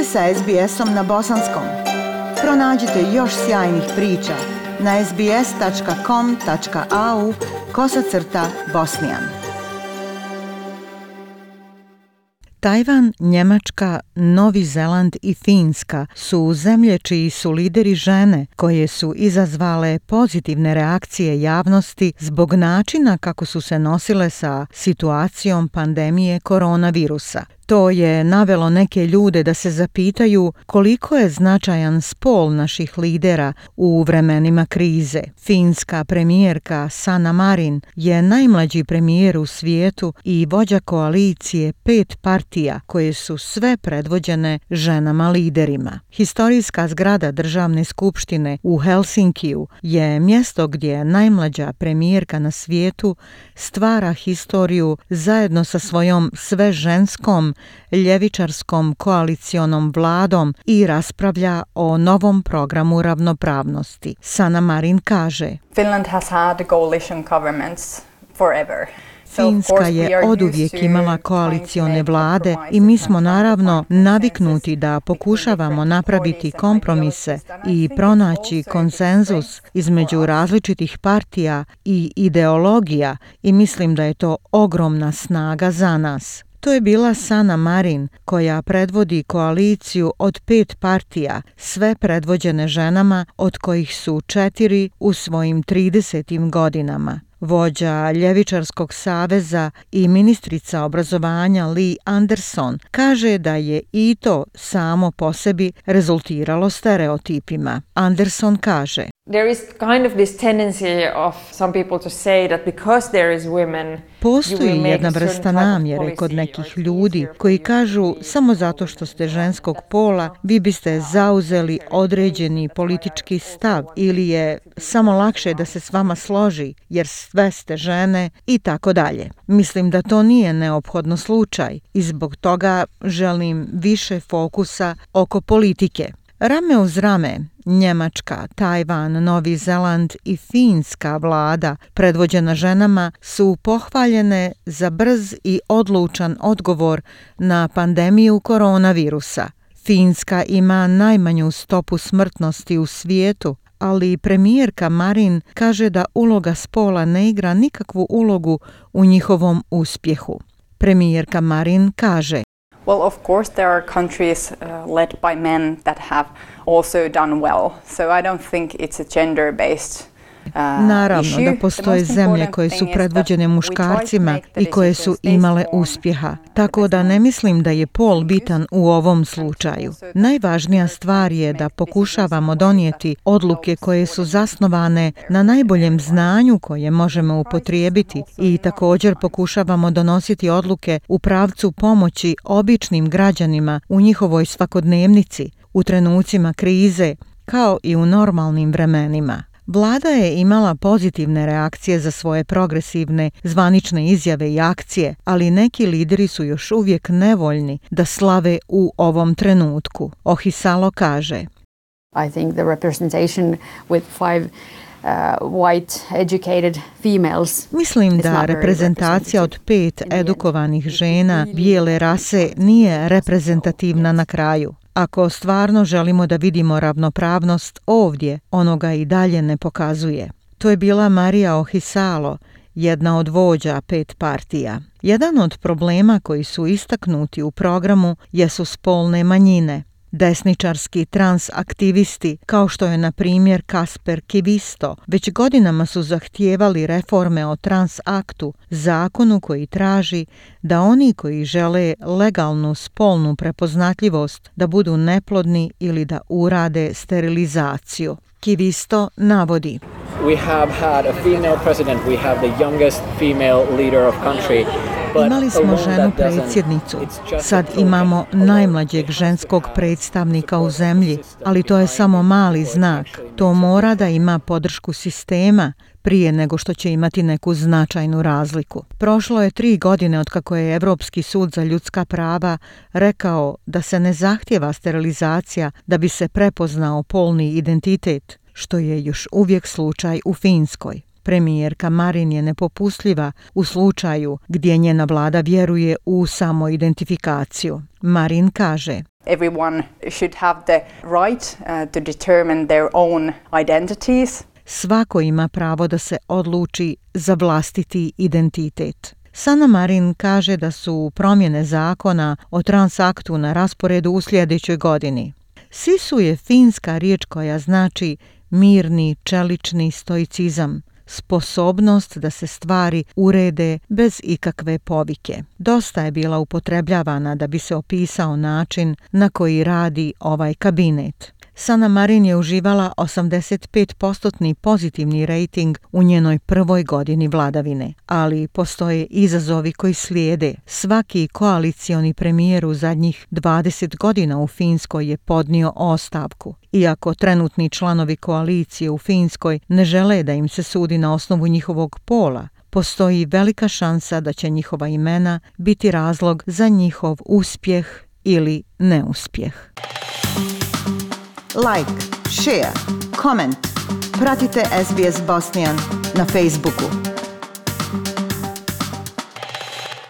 ste sa SBS-om na bosanskom. Pronađite još sjajnih priča na sbs.com.au/bosnijan. Tajvan, Njemačka, Novi Zeland i Finska su zemlje čiji su lideri žene koje su izazvale pozitivne reakcije javnosti zbog načina kako su se nosile sa situacijom pandemije koronavirusa. To je navelo neke ljude da se zapitaju koliko je značajan spol naših lidera u vremenima krize. Finska premijerka Sanna Marin je najmlađi premijer u svijetu i vođa koalicije 5 partija koje su sve predvođene ženama liderima. Historijska zgrada državne skupštine u Helsinkiju je mjesto gdje najmlađa premijerka na svijetu stvara historiju zajedno sa svojom sveženskom ljevičarskom koalicionom vladom i raspravlja o novom programu ravnopravnosti. Sanna Marin kaže: Finland has had coalition governments forever. Finska je oduvijek imala koalicione vlade i mi smo naravno naviknuti da pokušavamo napraviti kompromise i pronaći konsenzus između različitih partija i ideologija i mislim da je to ogromna snaga za nas. To je bila Sanna Marin koja predvodi koaliciju od 5 partija, sve predvođene ženama od kojih su 4 u svojim 30. godinama. Vođa Ljevičarskog saveza i ministrica obrazovanja Li Anderson kaže da je i to samo po sebi rezultiralo stereotipima. Anderson kaže: There is kind of this tendency of some people to say that because there is women, postoji jedna vrsta namjere kod nekih ljudi koji kažu samo zato što ste ženskog pola vi biste zauzeli određeni politički stav ili je samo lakše da se s vama složi jer sve ste žene i tako dalje. Mislim da to nije neophodno slučaj i zbog toga želim više fokusa oko politike. Rame uz rame, Njemačka, Tajvan, Novi Zeland i Finska vlada, predvođena ženama, su pohvaljene za brz i odlučan odgovor na pandemiju koronavirusa. Finska ima najmanju stopu smrtnosti u svijetu, ali premijerka Marin kaže da uloga spola ne igra nikakvu ulogu u njihovom uspjehu. Premijerka Marin kaže: Well, of course there are countries led by men that have also done well. So I don't think it's a gender-based Naravno da postoje zemlje koje su predvođene muškarcima i koje su imale uspjeha, tako da ne mislim da je pol bitan u ovom slučaju. Najvažnija stvar je da pokušavamo donijeti odluke koje su zasnovane na najboljem znanju koje možemo upotrijebiti i također pokušavamo donositi odluke u pravcu pomoći običnim građanima u njihovoj svakodnevnici, u trenucima krize, kao i u normalnim vremenima. Vlada je imala pozitivne reakcije za svoje progresivne zvanične izjave i akcije, ali neki lideri su još uvijek nevoljni da slave u ovom trenutku. Ohisalo kaže: I think the representation with 5 white educated females. Mislim da reprezentacija od 5 edukovanih žena bijele rase nije reprezentativna na kraju. Ako stvarno želimo da vidimo ravnopravnost ovdje, ono ga i dalje ne pokazuje. To je bila Maria Ohisalo, jedna od vođa 5 partija. Jedan od problema koji su istaknuti u programu jesu spolne manjine. Desničarski transaktivisti, kao što je na primjer Kasper Kivisto, već godinama su zahtijevali reforme o transaktu, zakonu koji traži da oni koji žele legalnu spolnu prepoznatljivost da budu neplodni ili da urade sterilizaciju. Kivisto navodi: We have had a female president, we have the youngest female leader of country. Imali smo ženu predsjednicu, sad imamo najmlađeg ženskog predstavnika u zemlji, ali to je samo mali znak. To mora da ima podršku sistema prije nego što će imati neku značajnu razliku. Prošlo je 3 godine od kako je Europski sud za ljudska prava rekao da se ne zahtijeva sterilizacija da bi se prepoznao polni identitet, što je još uvijek slučaj u Finskoj. Premijerka Marin je nepopustljiva u slučaju gdje njena vlada vjeruje u samoidentifikaciju. Marin kaže: Everyone should have the right to determine their own identities. Svako ima pravo da se odluči za vlastiti identitet. Sanna Marin kaže da su promjene zakona o transaktu na rasporedu u sljedećoj godini. Sisu je finska riječ koja znači mirni, čelični stoicizam, sposobnost da se stvari urede bez ikakve povike. Dosta je bila upotrebljavana da bi se opisao način na koji radi ovaj kabinet. Sanna Marin je uživala 85% pozitivni rating u njenoj prvoj godini vladavine, ali postoje izazovi koji slijede. Svaki koalicioni premijer u zadnjih 20 godina u Finskoj je podnio ostavku. Iako trenutni članovi koalicije u Finskoj ne žele da im se sudi na osnovu njihovog pola, postoji velika šansa da će njihova imena biti razlog za njihov uspjeh ili neuspjeh. Like, share, comment. Pratite SBS Bosnian na Facebooku.